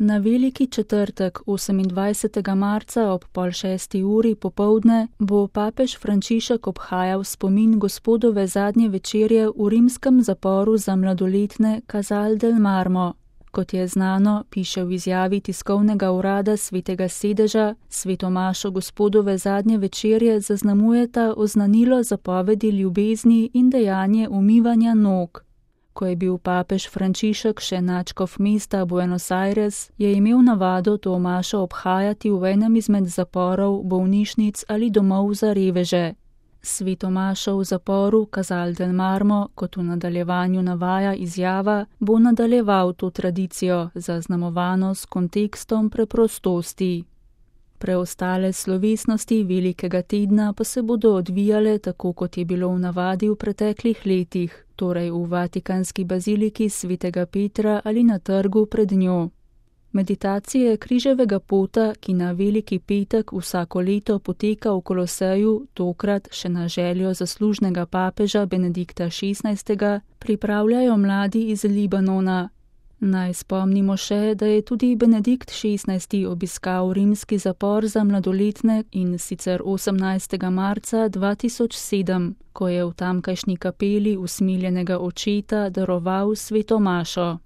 Na veliki četrtek 28. marca ob 5:30 popoldne bo papež Frančišek obhajal spomin Gospodove zadnje večerje v rimskem zaporu za mladoletne Casal del Marmo. Kot je znano, piše v izjavi tiskovnega urada Svetega sedeža, svetomašo Gospodove zadnje večerje zaznamujeta oznanilo zapovedi ljubezni in dejanje umivanja nog. Ko je bil papež Frančišek še nadškof mesta Buenos Aires, je imel navado to mašo obhajati v enem izmed zaporov, bolnišnic ali domov za reveže. Svetomašo v zaporu Casal del Marmo, kot v nadaljevanju navaja izjava, bo nadaljeval to tradicijo, zaznamovano s kontekstom preprostosti. Preostale slovesnosti velikega tedna pa se bodo odvijale tako, kot je bilo v navadi v preteklih letih, torej v Vatikanski baziliki Svetega Petra ali na trgu pred njo. Meditacije križevega pota, ki na Veliki petek vsako leto poteka v Koloseju, tokrat še na željo zaslužnega papeža Benedikta XVI., pripravljajo mladi iz Libanona. Naj spomnimo še, da je tudi Benedikt XVI. Obiskal rimski zapor za mladoletne in sicer 18. marca 2007, ko je v tamkajšnji kapeli usmiljenega očeta daroval sveto mašo.